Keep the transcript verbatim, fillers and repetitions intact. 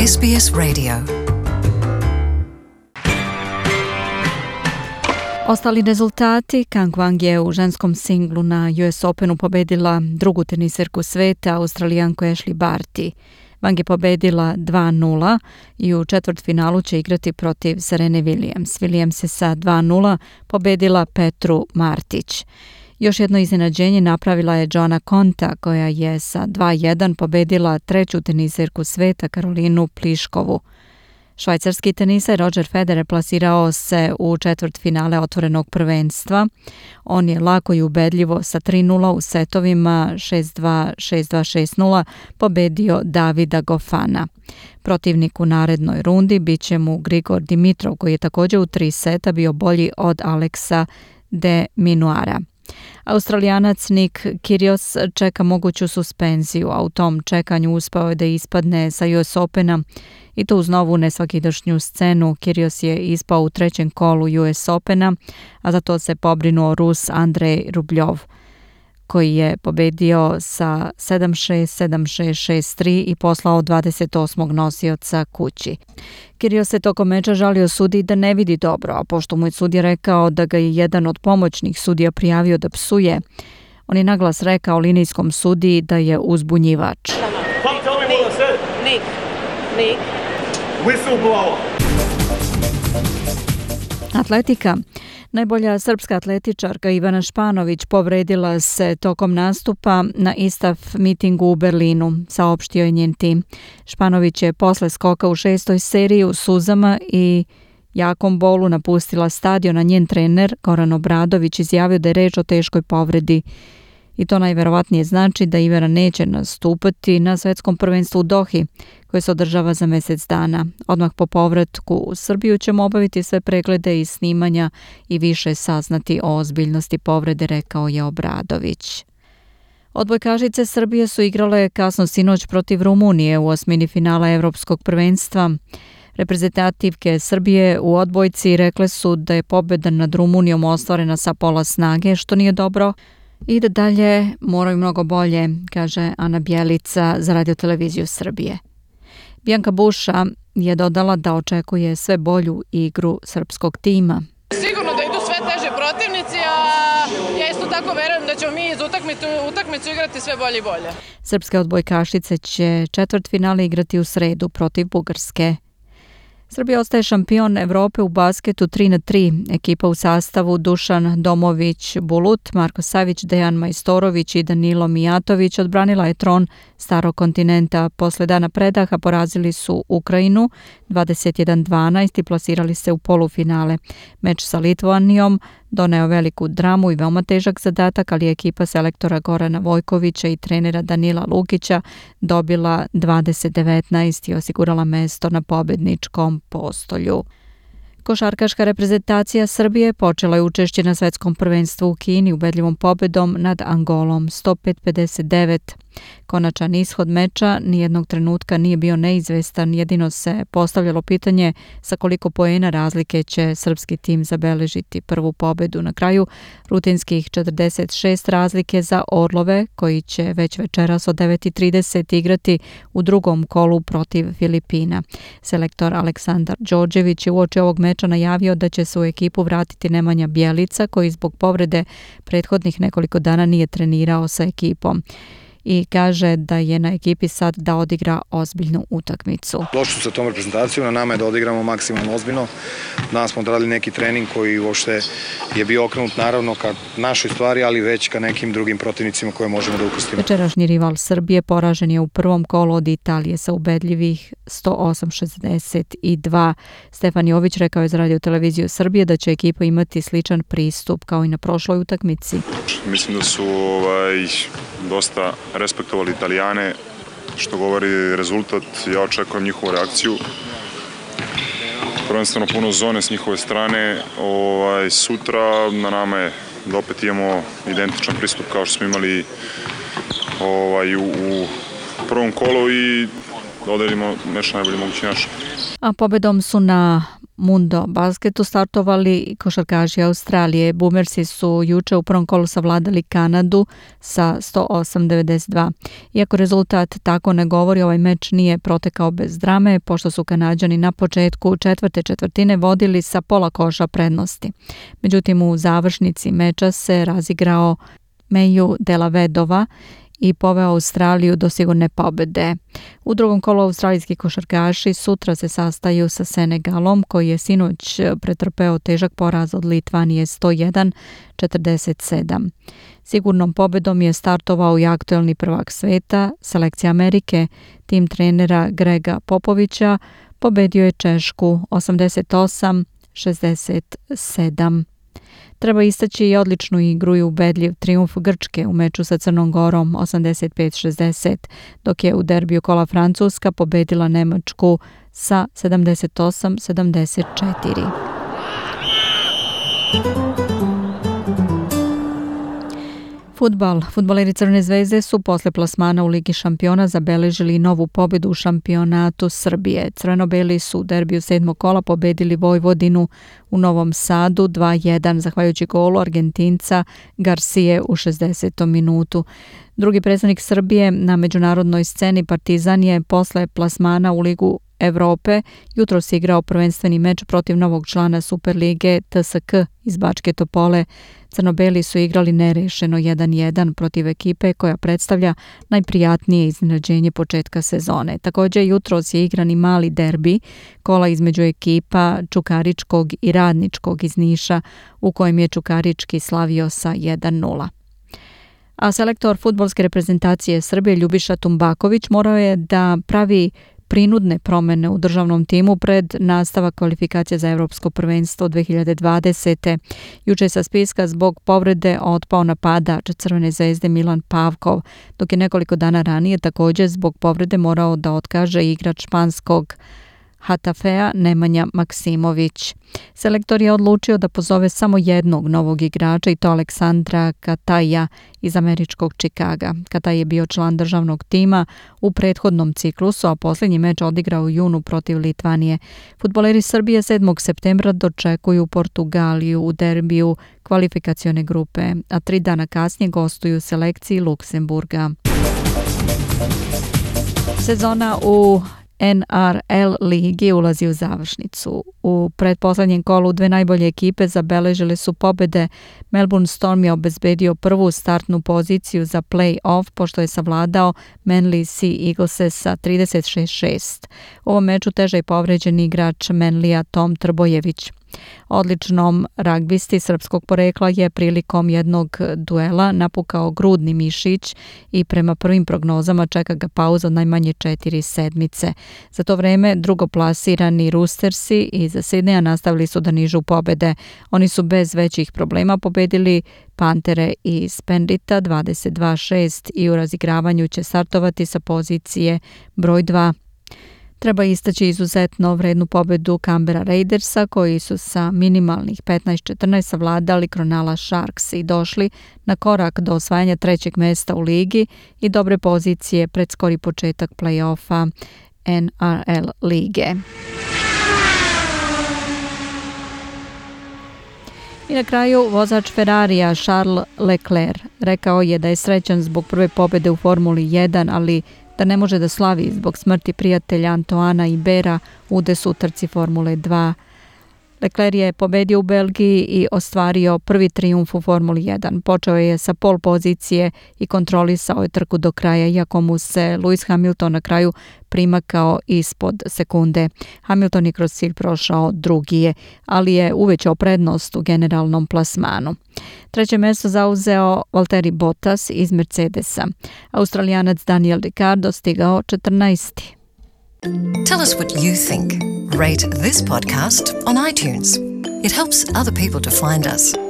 S B S Radio. Ostali rezultati: Kang Wang je u ženskom singlu na U S Openu pobedila drugu teniserku sveta, Australijanku Ashley Barty. Wang je pobedila dva nula i u četvrtfinalu će igrati protiv Serene Williams. Williams je sa dva nula pobedila Petru Martić. Još jedno iznenađenje napravila je Joanna Konta, koja je sa dva jedan pobedila treću teniserku sveta, Karolinu Pliškovu. Švajcarski teniser Roger Federer plasirao se u četvrtfinale otvorenog prvenstva. On je lako i ubedljivo sa tri nula u setovima šest dva, šest dva, šest nula pobedio Davida Gofana. Protivnik u narednoj rundi bit će mu Grigor Dimitrov, koji je također u tri seta bio bolji od Aleksa de Minaura. Australijanac Nick Kyrgios čeka moguću suspenziju, a u tom čekanju uspeo je da ispadne sa U S Opena i to uz novu nesvakidašnju scenu. Kyrgios je ispao u trećem kolu U S Opena, a za to se pobrinuo Rus Andrej Rubljov, koji je pobedio sa sedam šest, sedam šest, šest tri i poslao dvadeset osmog nosioca kući. Kyrgios se tokom meča žalio sudiji da ne vidi dobro, a pošto mu je sudija rekao da ga je jedan od pomoćnih sudija prijavio da psuje, on je naglas rekao linijskom sudiji da je uzbunjivač. Nick, Nick. Atletika. Najbolja srpska atletičarka Ivana Španović povredila se tokom nastupa na I S T A F mitingu u Berlinu, saopštio je njen tim. Španović je posle skoka u šestoj seriji u suzama i jakom bolu napustila stadion, a njen trener Goran Obradović izjavio da je reč o teškoj povredi. I to najverovatnije znači da Ivana neće nastupati na svetskom prvenstvu u Dohi, koje se održava za mjesec dana. Odmah po povratku u Srbiju ćemo obaviti sve preglede i snimanja i više saznati o ozbiljnosti povrede, rekao je Obradović. Odbojkašice Srbije su igrale kasno sinoć protiv Rumunije u osmini finala Evropskog prvenstva. Reprezentativke Srbije u odbojci rekle su da je pobjeda nad Rumunijom ostvarena sa pola snage, što nije dobro, i da dalje moraju mnogo bolje, kaže Ana Bjelica za Radio-televiziju Srbije. Bianca Buša je dodala da očekuje sve bolju igru srpskog tima. Sigurno da idu sve teže protivnici, a ja isto tako verujem da ćemo mi iz utakmicu, utakmicu igrati sve bolje i bolje. Srpske odbojkašice će četvrtfinale igrati u sredu protiv Bugarske. Srbija ostaje šampion Evrope u basketu tri na tri. Ekipa u sastavu Dušan Domović Bulut, Marko Savić, Dejan Majstorović i Danilo Mijatović odbranila je tron starog kontinenta. Posle dana predaha porazili su Ukrajinu dvadeset jedan dvanaest i plasirali se u polufinale. Meč sa Litvanijom doneo veliku dramu i veoma težak zadatak, ali je ekipa selektora Gorana Vojkovića i trenera Danila Lukića dobila dvadeset devetnaest i osigurala mesto na pobedničkom postolju. Košarkaška reprezentacija Srbije počela je učešće na svetskom prvenstvu u Kini ubedljivom pobedom nad Angolom sto pet pedeset devet. Konačan ishod meča nijednog trenutka nije bio neizvestan, jedino se postavljalo pitanje sa koliko poena razlike će srpski tim zabeležiti prvu pobedu. Na kraju rutinskih četrdeset šest razlike za Orlove, koji će već večeras od devet i trideset igrati u drugom kolu protiv Filipina. Selektor Aleksandar Đorđević je uoči ovog meča najavio da će se u ekipu vratiti Nemanja Bjelica, koji zbog povrede prethodnih nekoliko dana nije trenirao sa ekipom. I kaže da je na ekipi sad da odigra ozbiljnu utakmicu. Došli su sa tom reprezentacijom, na nama je da odigramo maksimalno ozbiljno. Danas smo odradili neki trening koji uopšte je bio okrenut naravno ka našoj stvari, ali već ka nekim drugim protivnicima koje možemo da upustimo. Večerašnji rival Srbije poražen je u prvom kolu od Italije sa ubedljivih sto osam šezdeset dva. Stefan Jović rekao je za Radio-televiziju Srbije da će ekipa imati sličan pristup kao i na prošloj utakmici. Mislim da su ovaj, dosta respektovali Italijane, što govori rezultat. Ja očekujem njihovu reakciju. Prvenstveno puno zone s njihove strane. Ovaj, sutra na nama je da opet imamo identičan pristup kao što smo imali ovaj, u, u prvom kolu i da odredimo nešto najbolje mogući naš. A pobedom su na Mundo basketu startovali košarkaši Australije. Boomersi su juče u prvom kolu savladali Kanadu sa sto osam devedeset dva. Iako rezultat tako ne govori, ovaj meč nije protekao bez drame, pošto su Kanađani na početku četvrte četvrtine vodili sa pola koša prednosti. Međutim, u završnici meča se razigrao Meju Delavedova i poveo Australiju do sigurne pobede. U drugom kolu australijski košarkaši sutra se sastaju sa Senegalom, koji je sinoć pretrpeo težak poraz od Litvanije sto jedan četrdeset sedam. Sigurnom pobedom je startovao i aktuelni prvak sveta, selekcija Amerike. Tim trenera Grega Popovića pobedio je Češku osamdeset osam šezdeset sedam. Treba istaći i odličnu igru i ubedljiv trijumf Grčke u meču sa Crnom Gorom osamdeset pet šezdeset, dok je u derbiju kola Francuska pobedila Nemačku sa sedamdeset osam sedamdeset četiri. Fudbal. Fudbaleri Crvene zvezde su posle plasmana u Ligi šampiona zabeležili novu pobedu u šampionatu Srbije. Crveno-beli su u derbiju sedmog kola pobedili Vojvodinu u Novom Sadu dva jedan, zahvaljujući golu Argentinca Garcije u šezdesetom minutu. Drugi predstavnik Srbije na međunarodnoj sceni Partizan je posle plasmana u Ligu Evrope jutros igrao prvenstveni meč protiv novog člana Superlige T S K iz Bačke Topole. Crno-beli su igrali nerešeno jedan jedan protiv ekipe koja predstavlja najprijatnije iznenađenje početka sezone. Također jutros je igran i mali derbi, kola između ekipa Čukaričkog i Radničkog iz Niša, u kojem je Čukarički slavio sa jedan nula. A selektor fudbalske reprezentacije Srbije Ljubiša Tumbaković morao je da pravi prinudne promene u državnom timu pred nastavak kvalifikacije za Evropsko prvenstvo dve hiljade dvadesete. Juče je sa spiska zbog povrede otpao napadač Crvene zvezde Milan Pavkov, dok je nekoliko dana ranije također zbog povrede morao da otkaže igrač španskog Hatafea Nemanja Maksimović. Selektor je odlučio da pozove samo jednog novog igrača, i to Aleksandra Kataja iz američkog Čikaga. Kataj je bio član državnog tima u prethodnom ciklusu, a posljednji meč odigrao u junu protiv Litvanije. Fudbaleri Srbije sedmog septembra dočekuju Portugaliju u derbiju kvalifikacione grupe, a tri dana kasnije gostuju selekciji Luksemburga. Sezona u N R L ligi ulazi u završnicu. U pretposlednjem kolu dve najbolje ekipe zabeležile su pobede. Melbourne Storm je obezbedio prvu startnu poziciju za play-off pošto je savladao Manly Sea Eaglese sa trideset šest šest. U ovom meču teže je povređen igrač Manlija Tom Trbojević. Odličnom ragbisti srpskog porekla je prilikom jednog duela napukao grudni mišić i prema prvim prognozama čeka ga pauza od najmanje četiri sedmice. Za to vreme drugoplasirani Roostersi iz Sidneja nastavili su da nižu pobede. Oni su bez većih problema pobedili Pantere iz Pendita dvadeset dva šest i u razigravanju će startovati sa pozicije broj dva. Treba istaći izuzetno vrednu pobedu Canberra Raidersa, koji su sa minimalnih petnaest četrnaest savladali Cronulla Sharks i došli na korak do osvajanja trećeg mesta u ligi i dobre pozicije pred skori početak play-offa N R L lige. I na kraju vozač Ferrarija Charles Leclerc rekao je da je srećan zbog prve pobjede u Formuli jedan, ali da ne može da slavi zbog smrti prijatelja Antoana Ibera u desutrci Formule dva. Leclerc je pobedio u Belgiji i ostvario prvi trijumf u Formuli jedan. Počeo je sa pol pozicije i kontrolisao je trku do kraja, iako mu se Lewis Hamilton na kraju primakao ispod sekunde. Hamilton je kroz cilj prošao drugi je, ali je uvećao prednost u generalnom plasmanu. Treće mjesto zauzeo Valtteri Bottas iz Mercedesa. Australijanac Daniel Ricciardo stigao četrnaesti. Tell us what you think. Rate this podcast on iTunes. It helps other people to find us.